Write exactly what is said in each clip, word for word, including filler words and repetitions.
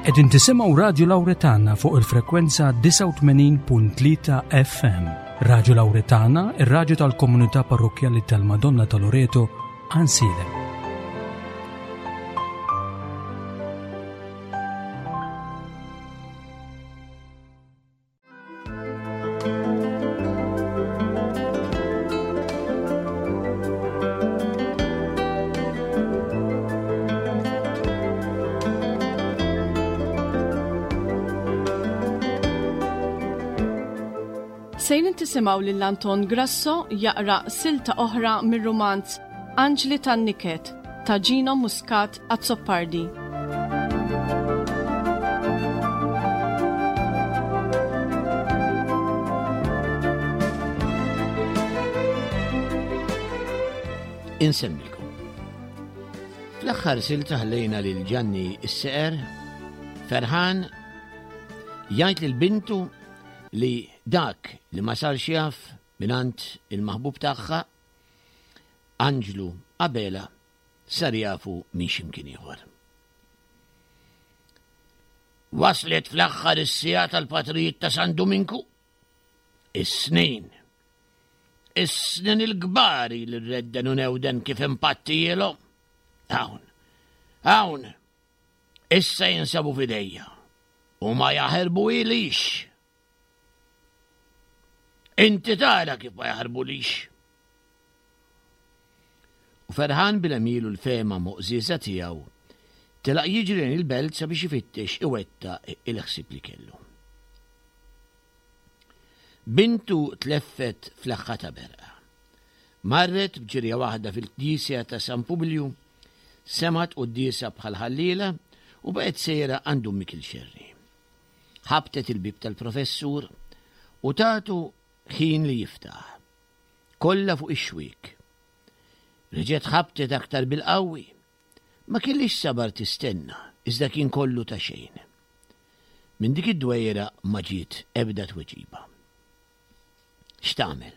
Qegħdin tisimgħu Radju Lawretana fuq il-frekwenza disgħa u tmenin punt tlieta F M. Radju Lawretana, ir-radju tal-komunità parrokkjali tal-Madonna ta' Loreto, Għajnsielem. Sejrin tisimgħu lil Anton Grasso jaqra silta oħra mir-rumanz Anġli tan-Niket ta' Gino Muscat Azzopardi. Insemmilkom. Fl-aħħar silta ħallejna lil Ġanni s-Seqer ferħan jgħid lil bintu li dak li ma sarx jaf mingħand il-maħbub tagħha, Anġlu Abela, sar jafu minn x'imkien ieħor. Waslet fl-aħħar is-siegħa tal-patrijiet ta' San Duminku. Is-snin. Is-snin il-kbar li rredden u newden kif impattijielhom. Hawn, hawn, issa jinsabu f'idejja u ma jaħarbu ilix. Inti tara kif ma jaħarbulix. U ferħan bil-għemil u l-fehma moqżieża tiegħu, telaq jiġri lejn il-belt sabiex ifittex iwetta il-ħsieb li kellu. Bintu tleffet fl-aħħa ta' berqa. Marret b'ġirja waħda fil-knisja ta' San Publiju, semat quddiesa bħal ħalliela u baqgħet sejra għand Dun Mikiel Xerri. Ħabtet il-bib tal-professur u tatu ħin li jiftaħ. Kollha fuq ix-xwiek. Reġgħet ħabtet aktar bil-qawwi. Ma kellix sabar tistenna, iżda kien kollu ta' xejn. Minn dik id-dwejra ma ġiet ebda tweġiba. X'tagħmel?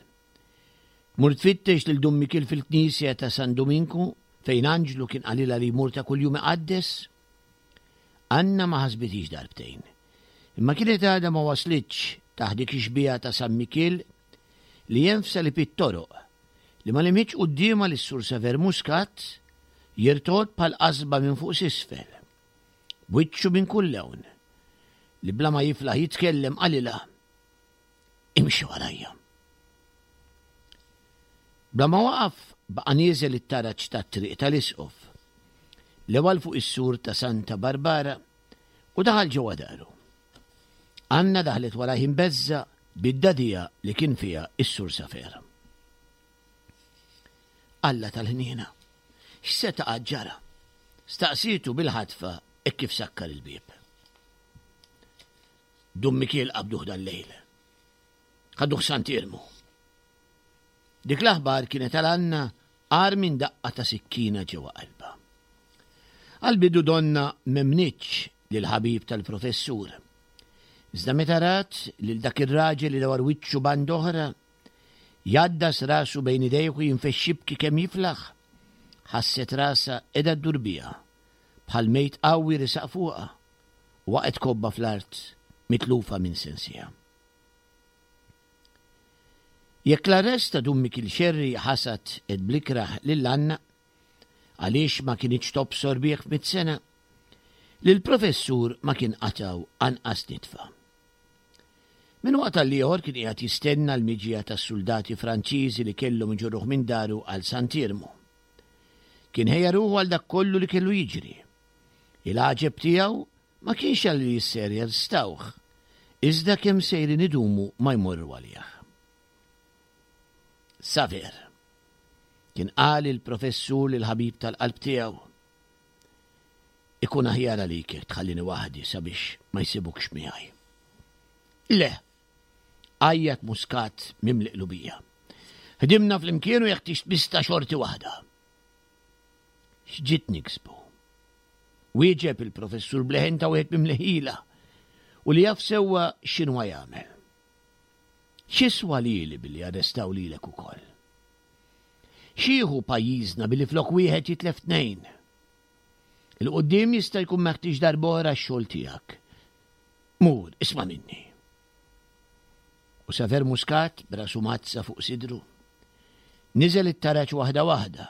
Mur tfittex lil Dun Mikiel fil-knisja ta' San Duminku fejn Anġlu kien qalilha li jmur ta' kuljum iqaddes? Anna ma ħasbitix darbtejn. Imma kienet għadha ma waslitx taħt dik ix-xbieha ta' San Mikiel li jenfsa li pit-toroq li ma limħitx quddiemha lis Sur Saver Muscat jirtod bħal qasba minn fuq s'isfel, b'wiċċu minn kull lewn, li bla ma jiflaħ jitkellem qalilha imxi warajja. Bla ma waqaf baqa' nieżel it-taraġ tat-triq tal-Isqof, l-ewwel fuq is-sur ta' Santa Barbara u daħal ġewwa daru. Anna daħlet warajh imbeżża bid-dadija li kien fiha is-Sur Safer. Alla tal-ħniena, x'se taqa' ġara? Staqsitu bil-ħatfa e kif sakkar il-bieb. Dun Mikiel qabduh dal-lejl. Ħaduh Sant'Iermu. Dik l-aħbar kienet għal Anna għar minn daqqa ta' sikkina ġewwa qalbha. Għal-bidu donna memnitx lil ħabib tal-professur. Iżda meta rat lil dak ir-raġel li dawar wiċċu band oħra, jgħaddas rasu bejn idejh u jinfexx jibki kemm jiflaħ, ħasset rasha qiegħda ddur biha, bħal mejt qawwi risaq fuqha u waqgħet kobba fl-art mitlufa minn sensiha. Jekk l-arrest ta' Dun Mikiel Xerri ħasad ed blikraħ lil Anna, għaliex ma kienx tobsor bih f'mitt sena, lill-professur ma kien qataw anqas nitfa. Minn waqt għal ieħor kien qiegħed jistenna l-miġja tas-soldati Franċiżi li kellhom iġorruh minn daru għal Sant'Iermu. Kien ħejja ruħu għal dak kollu li kellu jiġri. Il-għaġeb tiegħu ma kienx għal li jisser jarstawh, iżda kemm sejrin idumu ma jmorru għalih. Saver, kien qal il-professur lil ħabib tal-qalb tiegħu, ikun aħjar għalik jekk tħallini waħdi sabiex ma jsibukx miegħi. Le, għajjat Muscat mimli qlubija. Ħdimna flimkien u jeħtieġ tmista xorti waħda. X'ġiet niksbu? Wieġeb il-professur bleħen ta' wieħed mimli ħila u li jaf sewwa x'inhu jagħmel. X'iswa lili billi arrestaw lilek ukoll? X'ieħu pajjiżna billi flok wieħed jitlef tnejn? Il-qudiem jista' jkun meħtieġ darb'oħra x-xogħol tiegħek. Mur, isma' minni. U Saver Muscat, b'rasu mazza fuq sidru, niżel it-taraġ waħda waħda,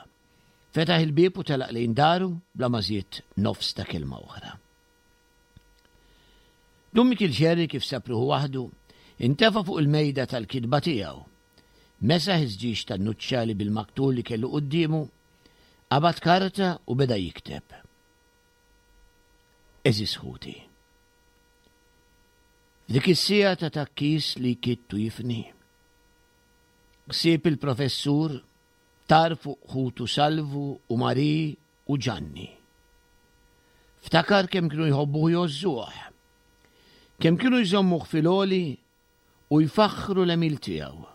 fetaħ il-bieb u telaq lejn daru bla ma żied nofs ta' kelma oħra. Dun Mikiel Xerri kif sab ruħu waħdu, intefa' fuq il-mejda tal-kitba tiegħu. Mesaħ iż-żġieġ tan-nuċċali bil-maktur li kellu quddiemu, qabad karta u beda jikteb. Għeżież ħuti. F'dik is-siegħa ta' tgħakkis li jkidd u jifni. Ħsieb il-professur tar fuq ħutu Salvu u Marie u Ġanni. Ftakar kemm kienu jħobbuh u jgħożżuh. Kemm kienu jżommuh fil-għoli u jfaħħru l-għemil tiegħu.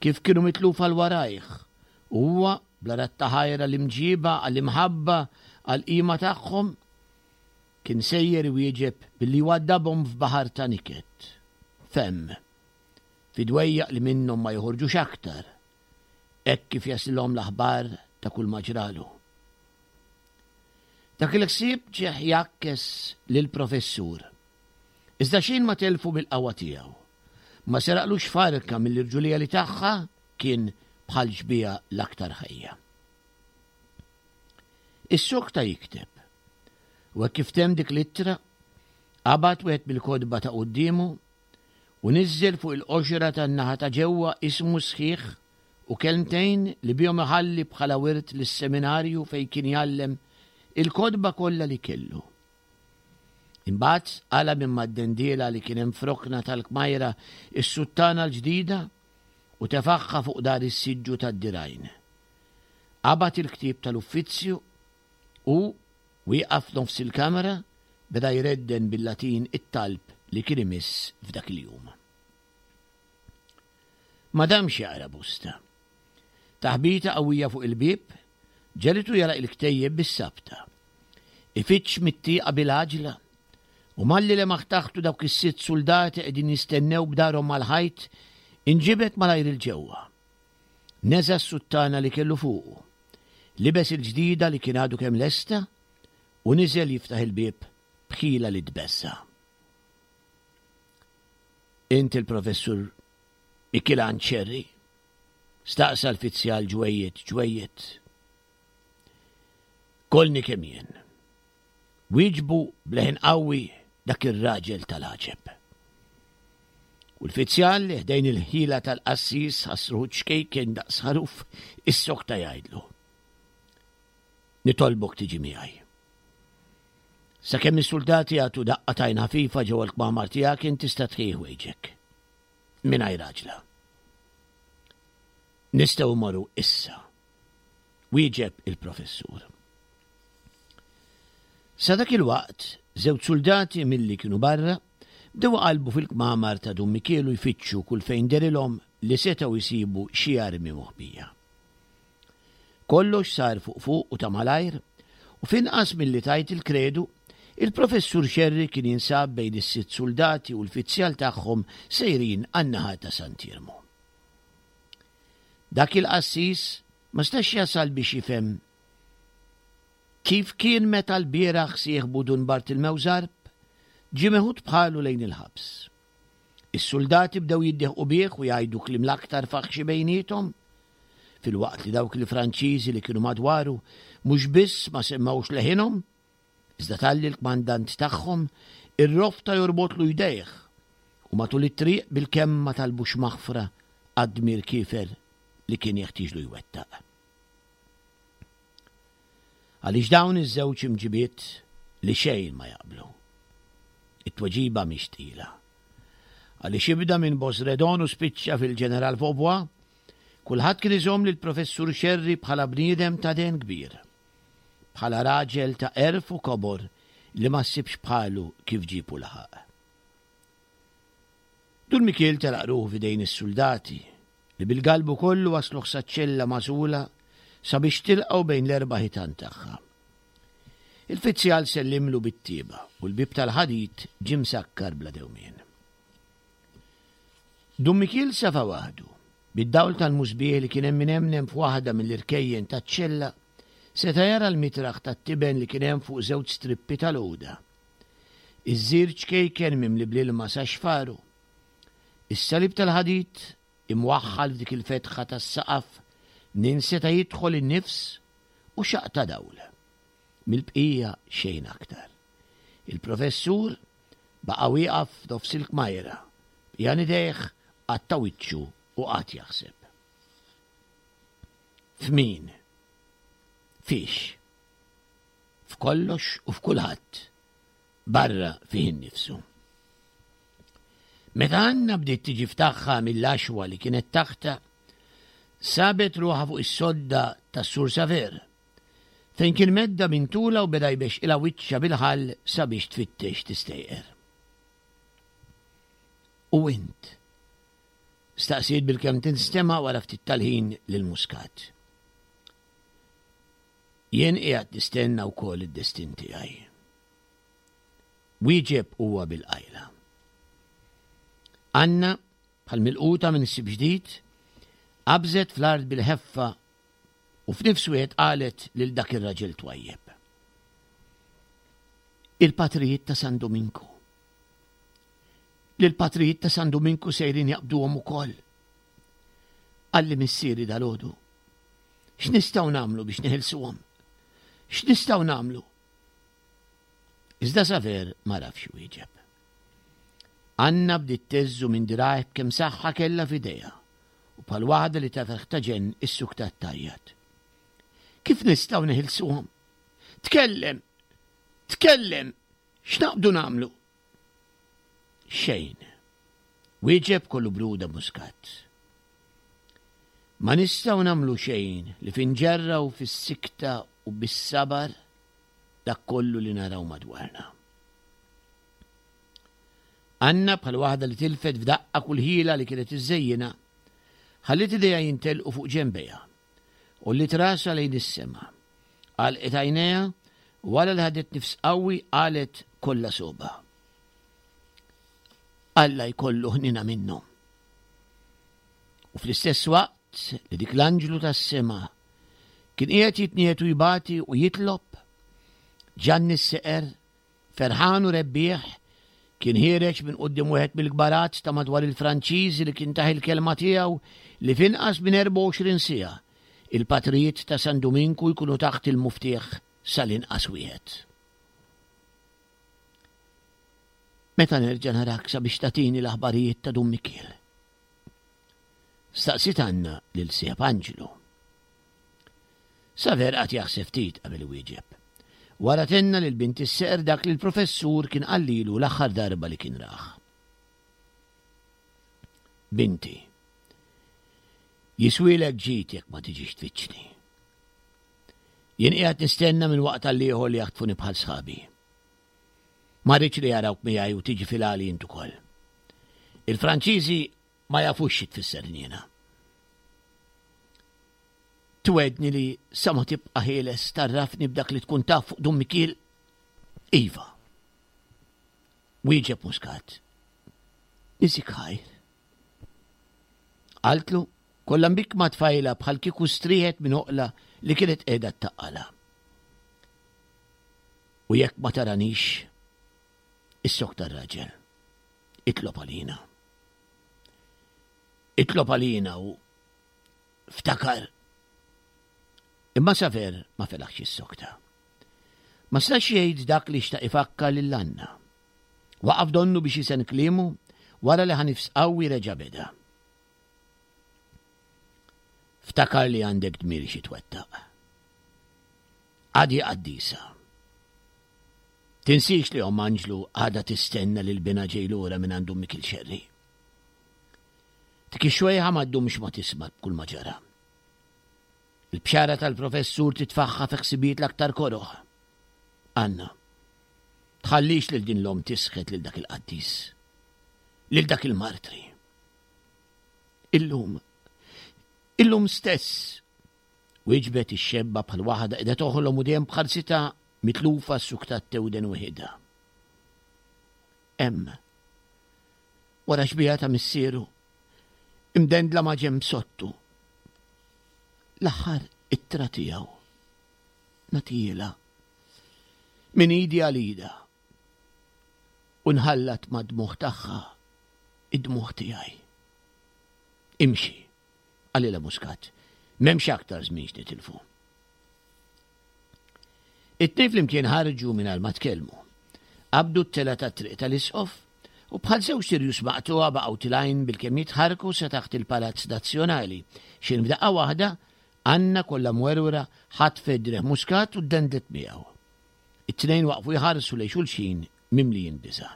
Kif kienu mitlufa 'l warajh u huwa bla radd ta' ħajr għall-imġiba, għall-imħabba, għall-qima tagħhom, kien sejjer iwieġeb billi jwaddabhom f'baħar ta' niket, femm, fi dwejjaq li minnhom ma joħorġux aktar, hekk kif jaslilhom l-aħbar ta' kull ma ġralu. Dak il-ħsieb ġieh jgħakkes lill-professur. Iżda xejn ma telfu mill-qawwa tiegħu. Ma seraqlux farka mill-irġulija li tagħha kien bħal xbieha l-aktar ħajja. Issokta jikteb. U hekk kif temm dik l-ittra, qabad wieħed mill-kotba ta' quddiemu u niżżel fuq il-qoxra tan-naħa ta' ġewwa ismu sħiħ u kelmtejn li bihom iħalli bħala wirt lis-seminarju fejn kien jgħallem il-kotba kollha li kellu. Imbagħad qala' minn mad-dendiela li kien hemm f'rokna tal-kmajra s-suttana l-ġdida u tefagħha fuq dar is-siġġu tad-dirgħajn. Qabad il-ktieb tal-uffizzju u, wieqaf f'nofs il-kamra, beda jredden bil-Latin it-talb li kien imiss f'dak il-jum. Ma damx jaqra bosta. Taħbita qawwija fuq il-bieb ġegħlitu jagħlaq il-ktejjeb bis-sabta. Ifittx mit-tieqa bil-għaġla u malli lemaħ taħtu dawk is-sitt suldati qegħdin jistennew b'darhom mal-ħajt, inġibed malajr 'il ġewwa. Neża' s-suttana li kellu fuqu, libes il-ġdida li kien għadu kemm lesta u niżel jiftaħ il-bieb b'ħila li tbeżża'. Int il-Professur Mikilan Ċerri? Staqsa l-fizzjal ġwejjed ġwejjed. Kollni kemm jien. Wieġbu b'leħen qawwi dak ir-raġel tal-għaġeb. U l-fizzjal li ħdejn il-ħila tal-qassis ħass ruħu ċkejken daqs ħaruf issokta jgħidlu. Nitolbok tiġi miegħi. Sakemm is-suldati jagħtu daqqa t'għajn ħafifa ġewwa l-kmamar tiegħek int tista' tħejji ħwejġek. Mingħajr għaġla. Nistgħu mmorru issa. Wieġeb il-professur. Sa dak il-waqt, żewġ suldati milli kienu barra bdew iqallbu fil-kmamar ta' Dun Mikiel u jfittxu kull fejn dehrilhom li setgħu jsibu xi armi moħbija. Kollox sar fuq fuq u ta' malajr, u f'inqas milli tgħid il-kredu, il-Professur Xerri kien jinsab bejn is-sitt suldati u l-fizzjal tagħhom sejrin għan-naħa ta' Sant'Iermu. Dak il-qassis ma stax jasal biex jifhem kif kien meta lbieraħ sieħbu Dun Bartilmew Zarb ġie meħud bħalu lejn il-ħabs. Is-suldati bdew jiddieħqu bih u jgħidu kliem l-aktar faħxi bejniethom, filwaqt li dawk il-Franċiżi li kienu madwaru mhux biss ma semmgħux leħinhom, iżda talli l-kmandant tagħhom irrofta jorbotlu jdejh u matul it-triq bilkemm ma talbux maħfra għad-dmir kiefer li kien jeħtieġlu jwettaq. Għaliex dawn iż-żewġ imġibiet li xejn ma jaqblu? It-tweġiba mhix tqila. Għaliex ibda minn Bosredon u spiċċa fil-Ġeneral Vaubois, kulħadd kien iżomm lill-Professur Xerri bħala bniedem ta' dehen kbir, bħala raġel ta' għerf u kobor li ma ssibx bħalu kif ġieb u laħaq. Dun Mikiel telaq ruħu f'idejn is-suldati, li bil-galbu kollu wasluh saċ-ċella magħżula sabiex tilqgħu bejn l-erba' ħitan tagħha. Il-fizzjal sellimlu bit-tjieba u l-bieb tal-ħadid ġie msakkar bla dewmien. Dun Mikiel safa waħdu, bid-dawl tal-musbieħ li kien hemm inemnem f'waħda mill-irkejjen taċ-ċella, Seta' jara l-mitraħ tat-tiben li kien hemm fuq żewġ strippi tal-għuda. Iż-żir ċkejken mimli bl-ilma sa xfaru. Is-salib tal-ħadid imwaħħal f'dik il-fetħa tas-saqaf minn seta' jidħol in-nifs u xaqq ta' dawl. Mill-bqija xejn aktar. Il-professur baqa' wieqaf f'nofs il-kmajra, b'qjan idejh għatta wiċċu u qagħad jaħseb. F'min? Fiex? F'kollox u f'kulħadd, barra fih innifsu. Meta Anna bdiet tiġi f'tagħha mill-għaxwa li kienet taħtha, sabet ruħha fuq is-sodda tas-Sur Saver, fejn kien medda minn tula u beda jbexqilha wiċċha bil-ħall sabiex tfittex tistejqer. U int? Staqsiet bilkemm tinstema' wara ftit tal-ħin lil Muscat. Jien qiegħed nistenna wkoll id-destin tiegħi. Wieġeb huwa bil-qajla. Anna, bħal milquta minn ħsieb ġdid, qabżet fl-art bil-ħeffa u f'nifs wieħed qalet lil dak ir-raġel twajjeb. Il-patrijiet ta' San Duminku. Lill-patrijiet ta' San Duminku sejrin jaqbduhom ukoll. Qalli missieri dalgħodu. X'nistgħu nagħmlu biex neħilsuhom? X'nistgħu nagħmlu? Iżda Saver ma rafx wieġeb. Anna bdiet teżżu minn dirgħajh b'kemm saħħa kellha f'idejha u bħal waħda li taf ta' ġenn issuktat tgħajjat. Kif nistgħu neħilsuhom? Tkellem! Tkellem! X'naqbdu nagħmlu? Xejn. Wieġeb kollu bruda Muscat. Ma nistgħu nagħmlu xejn li finġerraw fis-sikta u bis-sabar dak kollu li naraw madwarna. Anna bħal waħda li tilfet f'daqqa kull ħila li kienet iżżejjinha, ħalliet idejha jintelqu fuq ġenbejha u li trasha lejn is-sema. Għalqet għajnejha u wara li ħadet nifs qawwi qalet kollha soba. Alla jkollu ħnina minnhom. U fl-istess waqt li dik l-anġlu tas-sema kien qiegħed jitniet u jbati u jitlob, Ġanni s-Seqer, ferħan u rebbieħ, kien ħiereġ minn quddiem wieħed mill-kbarat ta' madwar il-Franċiżi li kien tah il-kelma tiegħu li f'inqas minn erbgħa u għoxrin siegħa il-patrijiet ta' San Duminku jkunu taħt il-muftieħ sal-inqas wieħed. Meta nerġa' narak sabiex tagħtini l-aħbarijiet ta' Dun Mikiel? Staqsiet Anna lil sieħeb Anġlu. Saver qagħad jaħseb ftit qabel iwieġeb. Wara tenna lil bint is-seqer dak li l-professur kien qallilu l-aħħar darba li kien rah. Binti, jiswielek ġid jekk ma tiġix tfittxni. Jien qiegħed nistenna minn waqt għal ieħor li jaħtfuni bħal sħabi. Ma rridx li jarawk miegħi u tiġi fil-għali int ukoll. Il-Franċiżi ma jafux xi tfisser ħniena. Twedni li sa ma tibqa' ħieles tarrafni b'dak li tkun taf fuq Dun Mikiel? Iva. Wieġeb Muscat. Niżik ħajr. Qaltlu kollha mbikkma tfajla bħal kieku strieħet minn oqla li kienet qiegħda ttaqqalha. U jekk ma taranix, issok tar-raġel. Itlob għalina. Itlob għalina u ftakar. Imma Saver ma felaħx jissokta. Ma stax jgħid dak li xtaq ifakkar lil Anna. Waqaf donnu biex jisen kliemu wara li ħanifs qawwi reġa' beda. Ftakar li għandek dmir xi twettaq. Għadi qaddisa. Tinsiex li omm Anġlu għadha tistenna lil binha ġej lura minn għandu Mikil Xerri. Dik ix-xwejħa ma ddumx ma tisma' b'kull ma ġara. Il-bxara tal-professur titfaħħa fi ħsibijiet l-aktar koroh. Anna, tħallix lil din l-omm tisħet lil dak il-qaddis, lil dak il-martri. Illum, illum stess, wieġbet ix-xebba bħal waħda qiegħda toħlom u dejjem b'ħarsitha mitlufa ssuktat tewden weħidha. Hemm, wara xbieha ta' missieru, imdendla ma' ġenb sottu, l-aħħar ittra tiegħu. Nagħtihielha. Minn idi għal idha. U nħallat mad-dmugħ tagħha id-dmugħ tiegħi. Imxi, qalilha Muscat, m'hemmx aktar żmien x'nitilfu. It-tnejn flimkien ħarġu mingħajr ma tkellmu. Qabdu t-telgħa tat-triq tal-Isqof u bħal żewġt irjus maqtugħa baqgħu tilgħin bilkemm jitħarrku sa taħt il-Palazz Nazzjonali, x'ħin f'daqqa waħda Anna kollha mwerwra ħatfet driegħ Muscat u ddendlet miegħu. It-tnejn waqfu jħarsu lejn xulxin mimlijin biża'.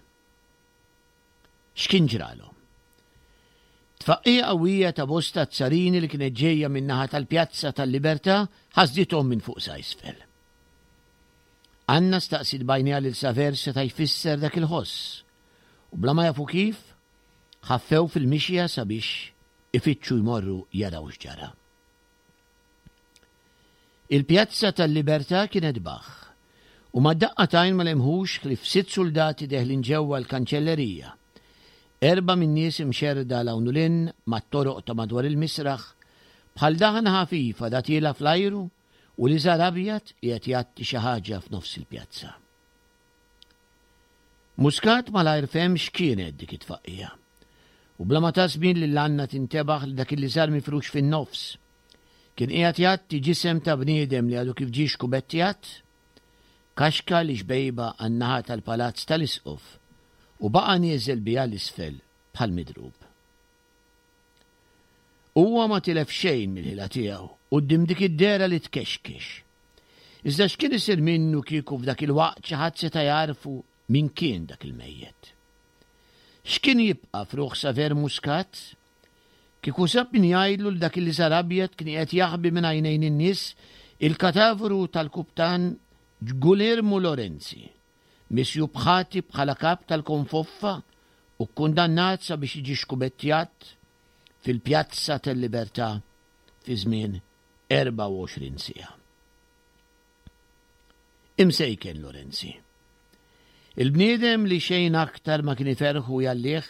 X'kien ġralhom? Tfaqqija qawwija ta' bosta azzarini li kienet ġejja min-naħa tal-Pjazza tal-Libertà ħasdithom minn fuq sa isfel. Anna staqsiet b'għajnejha lil Saver x'seta' jfisser dak il-ħoss u bla ma jafu kif, ħaffew fil-mixja sabiex ifittxu jmorru jaraw x'ġara. Il-Pjazza tal-Libertà kienet baħħ, u mad-daqqa t'għajn ma lemħux ħlief sitt suldati deħlin ġewwa l-Kanċellerija. Erbgħa min-nies imxerrda 'l hawn u 'l hinn mat-toroq ta' madwar il-misraħ, bħal daħna ħafifa da tiela' fl-ajru u liżar abjad qiegħed jgħatti xi ħaġa f'nofs il-pjazza. Muscat malajr fehem x'kienet dik it-tfaqqija. U bla ma ta żmien lil Anna tintebaħ li dak il-liżar mifrux fin-nofs kien qiegħed jgħatti ġisem ta' bniedem li għadu kif ġie xkubettjat, kaxka li xbejba għan-naħa tal-palazz tal-Isqof u baqa' nieżel biha 'l isfel bħal midrub. Huwa ma tilef xejn mill-ħila tiegħu quddiem dik id-dehra li tkexkex. Iżda x'kien isir minnu kieku f'dak il-waqt xi ħadd seta' jagħrfu min kien dak il-mejjet? X'kien jibqa' f'ruħ Saver Muscat kieku sab min jgħidlu li dak il-liżar abjad kien qiegħed jaħbi minn għajnejn in-nies il-katavru tal-Kuptan Gulermu Lorenzi, misjub ħati bħala kap tal-Konfoffa u kkundannat sabiex jiġi xkubettjat fil-Pjazza tal-Libertà fi żmien erbgħa u għoxrin siegħa. Imsejken Lorenzi. Il-bniedem li xejn aktar ma kien iferrħu u jgħallih,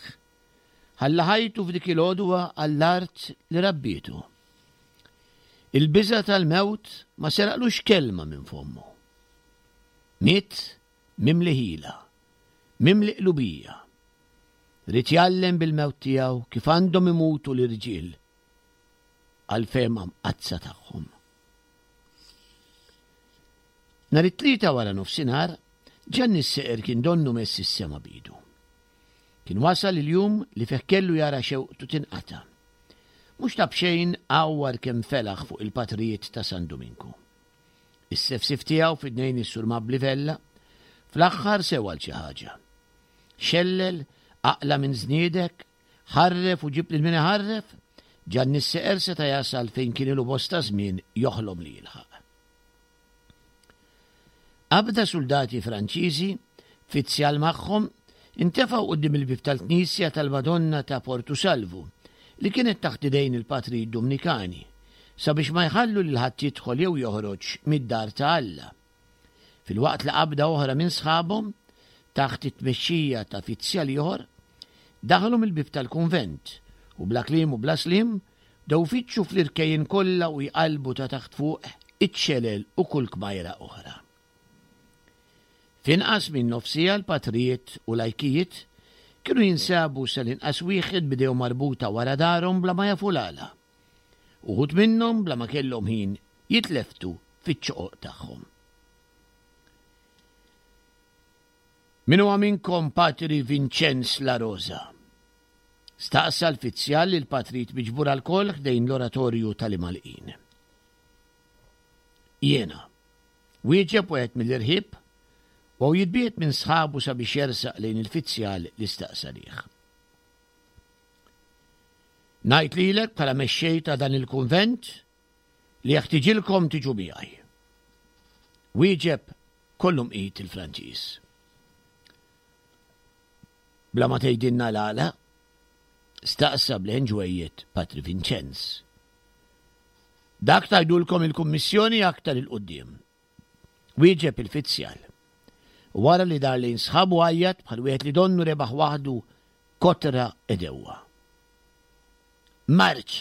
ħalla ħajtu f'dik il-għodwa għall-art li rabbietu. Il-biża' tal-mewt ma seraqlux kelma minn fommu. Miet mimli ħila, mimli qlubija. Ried jgħallem bil-mewt tiegħu kif għandhom imutu l-irġiel għall-fehma mqaddsa tagħhom. Nhar it-Tlieta wara nofsinhar, Ġanni s-Seqer kien donnu mess is-sema b'idu. Kien wasal il-jum li fih kellu jara xewqtu tinqata'. Mhux ta' b'xejn għawwar kemm felaħ fuq il-patrijiet ta' San Duminku. Is-sefsif tiegħu f'idnejn is-Sur Mabli Vella, fl-aħħar sewa għal xi ħaġa. Xellel, aqla' minn żniedek, ħarref u ġib lil min iħarref, Ġanni s-Seqer seta' jasal fejn kien ilu bosta żmien joħlom li jilħaq. Qabda suldati Franċiżi, fizzjal magħhom, intefgħu quddiem il-bieb tal-knisja tal-Madonna ta' Portu Salvu, li kienet taħt idejn il-patrijiet Dumnikani, sabiex ma jħallu lil ħadd jidħol jew joħroġ mid-dar ta' Alla. Filwaqt li qabda oħra minn sħabhom, taħt it-tmexxija ta' fizzjal ieħor, daħlu mill-bieb tal-kunvent u bla kliem u bla sliem bdew ifittxu fl-irkejjen kollha u jqallbu ta' taħt fuq iċ-ċelel u kull kmajra oħra. F'inqas minn nofs siegħa l-patrijiet u lajkijiet kienu jinsabu sal-inqas wieħed b'idejhom marbuta wara darhom bla ma jafu l-għala. Uħud minnhom bla ma kellhom ħin jitlefftu fiċ-ċoqoq tagħhom. Min huwa minnkom Patri Vinċenz La Rosa? Staqsa l-fizzjal lill-patrijiet miġbura lkoll ħdejn l-oratorju tal-Imgħallqin. Jiena. Wieġeb wieħed mill-irħieb, u jitbiegħed minn sħabu sabiex jersaq lejn il-fizzjal li staqsa lih. Ngħid lilek bħala mexxej ta' dan il-kunvent li jeħtiġilkom tiġu miegħi. Wieġeb kollu mqit il-Franċiż. Bla ma tgħidilna l-għala? Staqsa b'leħen ġwejjed Patri Vinċenz. Dak tgħidulkom il-Kummissjoni aktar 'il quddiem. Wieġeb il-fizzjal. U wara li dar lejn sħabu għajjat bħal wieħed li donnu rebaħ waħdu kotra għedewwa. Marċ!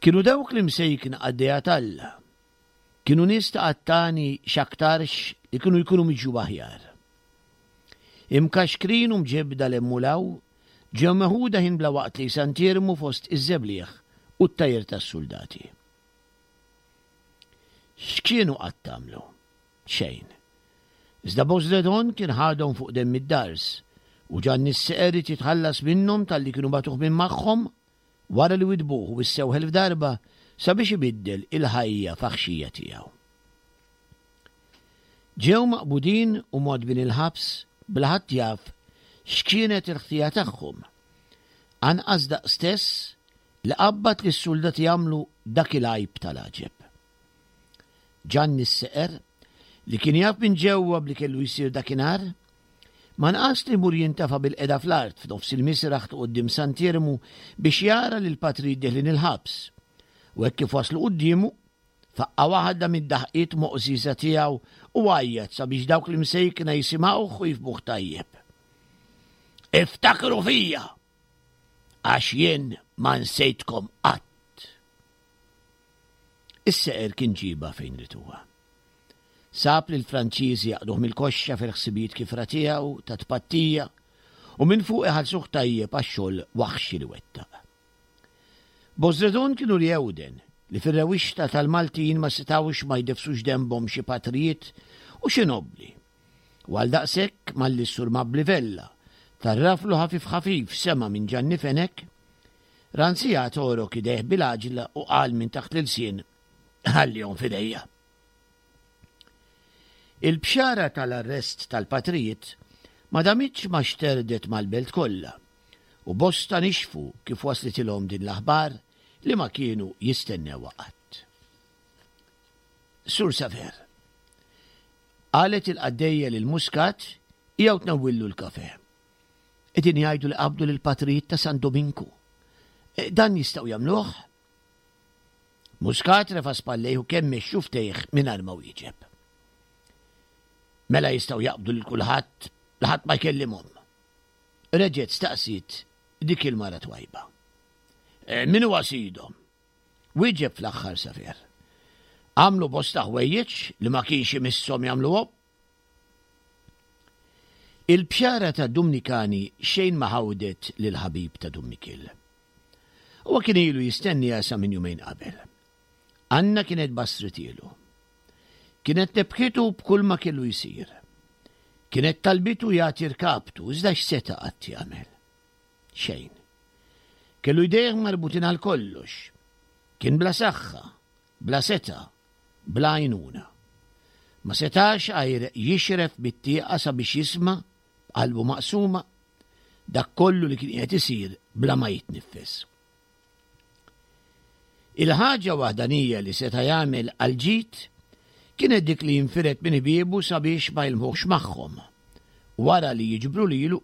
Kienu dawk l-imsejkna qaddejja t'Alla Kienu nies ta' qattani x'aktarx li kienu jkunu miġjuba aħjar. Imkaxkrin u mġebbda 'l hemm u 'l hawn, ġew meħuda ħin bla waqt lejn Sant'Iermu fost iż-żebliħ u t-tajr tas-suldati. X'kienu qatt għamlu? Xejn. Iżda Bosredon kien ħadhom fuq demm id-dars u Ġanni s-Seqer ried jitħallas minnhom talli kienu bagħtuh minn magħhom wara li widbuh u wissewh elf darba sabiex ibiddel il-ħajja faħxija tiegħu. Ġew maqbudin u mgħoddbin il-ħabs bla ħadd jaf x'kienet il-ħtija tagħhom. Anqas daq stess li qabbad lis-suldati jagħmlu dak il-għajb tal-għaġeb. Ġanni s-Seqer, li kien jaf minn ġewwa b'li kellu jsir dakinhar, ma nqas li jmur jintafa' bil-qeda fl-art f'nofs il-misraħ ta' quddiem Sant'Iermu biex jara lill-patrijiet deħlin il-ħabs, u hekk kif waslu quddiemu, faqqa' waħda mid-daħqiet moqżieża tiegħu u għajjat sabiex dawk l-imsejkna jisimgħuh u jifhmuh tajjeb. Iftakru fija, għax jien ma nsejtkom qatt. Is-seqer kien ġiebha fejn ried huwa. Sab lill-Franċiżi jaqduh mill-koxxa fil-ħsibijiet kifra tiegħu ta' tpattija u minn fuq iħallsuh tajjeb għax-xogħol waħxi li wettaq. Bosredon kienu l-Jewden li fir-rewwixta tal-Maltin ma setgħux ma jdeffsux denbhom xi patrijiet u xi nobbli. U għaldaqshekk malli s-Sur Mabli Vella tarraflu ħafif ħafif sema' minn Ġanni Fenech, Ranzija torok idejh bil-għaġla u qal minn taħt l-ilsien, Ħallihom f'idejja. Il-bxara tal-arrest tal-patrijiet ma damitx ma xterdet mal-belt kollha, u bosta nixfu kif waslitilhom din l-aħbar li ma kienu jistennewha qatt. Sur Saver, qalet il-qaddejja lil Muscat, qiegħu tnewwillu l-kafè. Qegħdin jgħidu li qabdu lill-patrijiet ta' San Dominku. Dan jistgħu jagħmluh? Muscat refa' spallejh u kemmex xuftejh mingħajr ma wieġeb. Mela jistgħu jaqbdu lil kulħadd li ħadd ma jkellimhom. Reġgħet staqsiet dik il-mara twajba. E, min huwa sidhom? Wieġeb fl-aħħar Safer. Għamlu bosta ħwejjeġ li ma kienx imisshom jagħmluhom. Il-bxara ta' Dumnikani xejn ma ħawdet lill-ħabib ta' Dun Mikiel. Huwa kien ilu jistenniha sa minn jumejn qabel. Anna kienet bassritielu. Kienet nebħitu b'kull ma kellu jsir. Kienet talbitu jagħti rkabtu, iżda x'seta' qatt jagħmel? Xejn. Kellu jdejh marbutin għal kollox. Kien bla saħħa, bla setgħa, bla għajnuna. Ma setax għajr jixref bit-tieqa sabiex jisma' b'qalbu maqsuma dak kollu li kien qiegħed isir bla ma jitniffes. Il-ħaġa waħdanija li seta' jagħmel għall-ġid kienet dik li jinfired minn ħbiebu sabiex ma jilmħuhx magħhom, u wara li jiġbru lilu,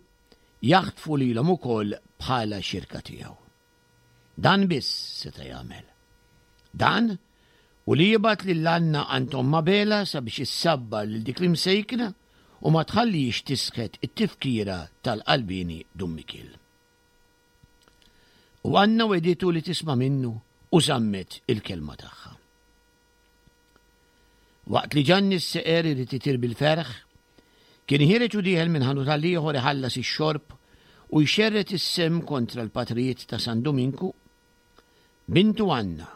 jaħtfu lilhom ukoll bħala xirka tiegħu. Dan biss seta' jagħmel. Dan u li jibgħat lil Anna għand omm Abela sabiex issabbar lil dik l-imsejkna u ma tħallihiex tisħet it-tifkira tal-qalbieni Dun Mikiel. U Anna wegħditu li tisma' minnu u żammet il-kelma tagħha. Waqt li Ġanni s-seqer irid itir bil-ferħ, kien ħiereġ u dieħel minn ħanut għal ieħor iħallas ix-xorb u jxerred is-semm kontra l-patrijiet ta' San Duminku, bintu Anna,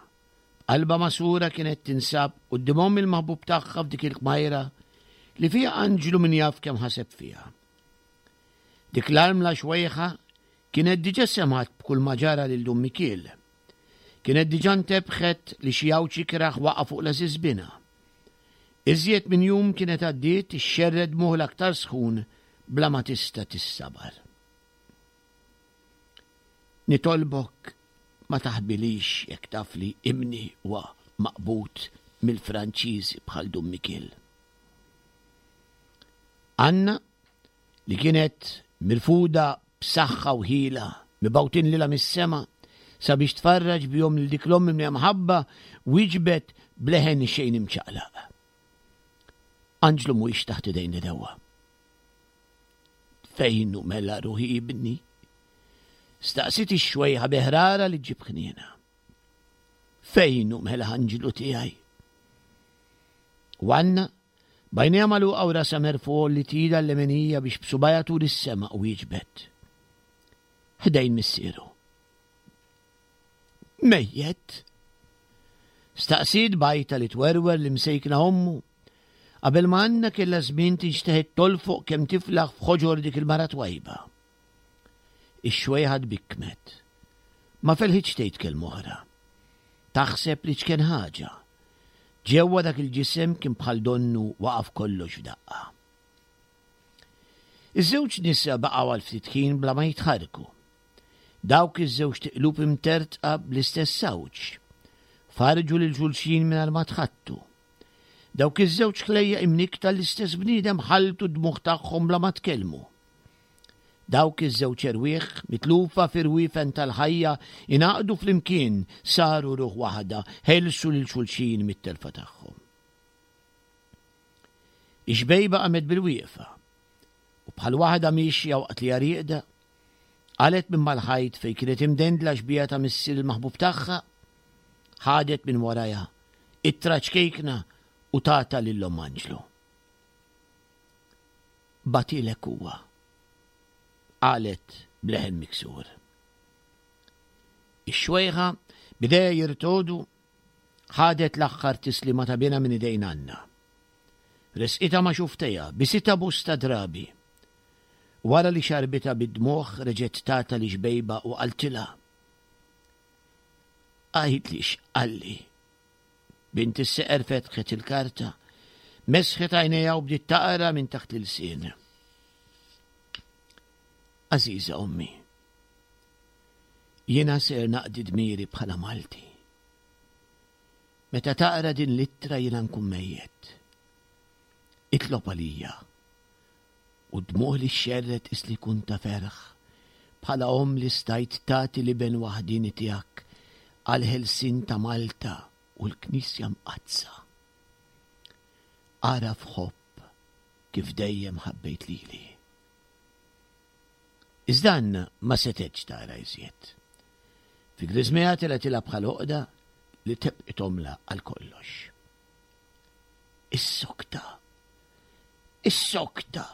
b'qalbha magħsura kienet tinsab quddiem omm il-maħbub tagħha f'dik il-kmajra li fiha anġlu min jaf kemm ħaseb fiha. Dik l-armla xwejħa kienet diġà semgħet b'kull ma ġara lil Dun Mikiel. Kienet diġà ntebħet li xi għawġ ikrah waqa' fuq l-għażiż binha. Iżjed minn jum kienet għaddiet ixxerred dmugħ l-aktar sħun bla ma tista' tissabar. Nitolbok ma taħbilix jekk taf li ibni huwa maqbud mill-Franċiżi bħal Dun Mikiel. Anna, li kienet mirfuda b'saħħa u ħila mibgħutin lilha mis-sema sabiex tfarraġ bihom lil dik l-omm mimlija mħabba, wieġbet b'leħen xejn imċaqlaq. Anġlu mhuwiex taħt idejn l-għedewwa. Fejn hu mela ruħi ibni? Staqsiet ix-xwejħa bi ħrara li ġġib ħniena. Fejn hu mela anġlu tiegħi? U Anna, b'għajnejha magħluqa u rasha merfugħ li tida l-lemenija biex b'subgħajha turi s-sema u wieġbet. Ħdejn missieru. Mejjet? Staqsiet b'għajta li twerwer l-imsejkna ommu. Qabel ma Anna kellha żmien tinxteħet tolfoq kemm tiflaħ f'ħoġor dik il-mara twajba. Ix-xwejħa tbikkmet. Ma felħitx tgħid kelma oħra. Taħseb li ċken ħaġa. Ġewwa dak il-ġisem kien bħal donnu waqaf kollox f'daqqa. Iż-żewġ nisa baqgħu għal ftit ħin bla ma jitħarrku. Dawk iż-żewġt iqlub imtertqa bl-istess sawġ. Farġu lil xulxin mingħajr ma tħattu. Dawk iż-żewġ ħlejjaq imnikkta l-istess bniedem ħalltu d-dmugħ tagħhom bla ma tkellmu. Dawk iż-żewġ erwieħ mitlufa fir-rwiefen tal-ħajja ingħaqdu flimkien saru ruħ waħda, ħelsu lil xulxin mit-telfa tagħhom. Ix-xbejba qamet bil-wieqfa u bħal waħda miexja waqt li rieqda, qalet minn mal-ħajt fejn kienet imdendla xbieha ta' missier il-maħbub tagħha, ħadet minn warajha ittra ċkejkna u tata lil Omm Anġlu. Bagħtilek huwa, qalet b'leħen miksur. Ix-xwejħa b'idejha jirtogħdu ħadet l-aħħar tislima ta' binha minn idejn Anna. Resqitha ma' xufftejha, bisitha bosta drabi. Wara li xarbitha bid-dmugħ reġgħet tata lix-xbejba u qaltilha. Għidli x'qalli. Bint is-seqer fetħet il-karta, mesħet għajnejha u bdiet taqra minn taħt l-ilsien. Għażiża ommi, jiena ser naqdi dmiri bħala Malti. Meta taqra din l-ittra jiena nkun mejjet. Itlob għalija u d-dmugħ li xxerred qis li jkun ta' ferħ bħala omm li stajt tagħti l-iben waħdieni tiegħek għall-ħelsien ta' Malta u l-Knisja Mqaddsa. Agħraf ħobb kif dejjem ħabbejt lili. Iżda Anna ma setgħetx tara iżjed. Fi griżmejha telgħetilha bħal għoqda li tebqithomlha għal kollox. Issokta! Issokta!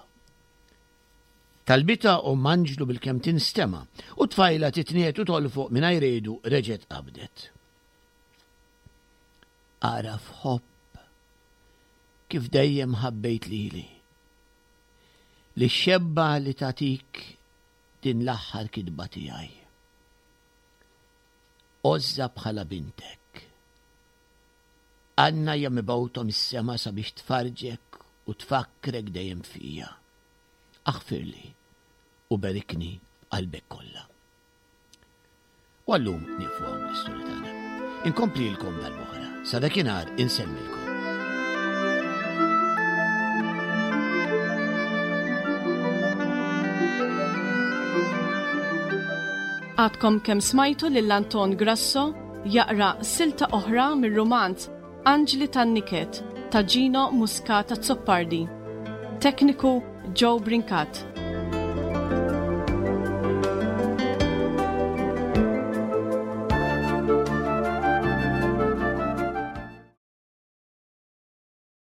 Talbitha Omm Anġlu bilkemm tinstema' u t-tfajla titniegħed u tolfoq mingħajr għidu reġgħet qabdet. Agħraf ħobb kif dejjem ħabbejt lili. Lix-xebba li tagħtik din l-aħħar kitba tiegħi. Għożżha bħala bintek. Anna hija mibgħuta mis-sema sabiex tfarrġek u tfakkrek dejjem fija. Aħfirli u berikni b'qalbek kollha. U għallum nieqfu hawn l-istorja tagħna. Inkomplilkom darb'oħra. Sa dakinhar insellmilkom. Għadkom kemm smajtu lil Anton Grasso jaqra silta oħra mir-rumanz Anġli tan-Niket ta' Gino Muscat Azzopardi. Tekniku Joe Brincat.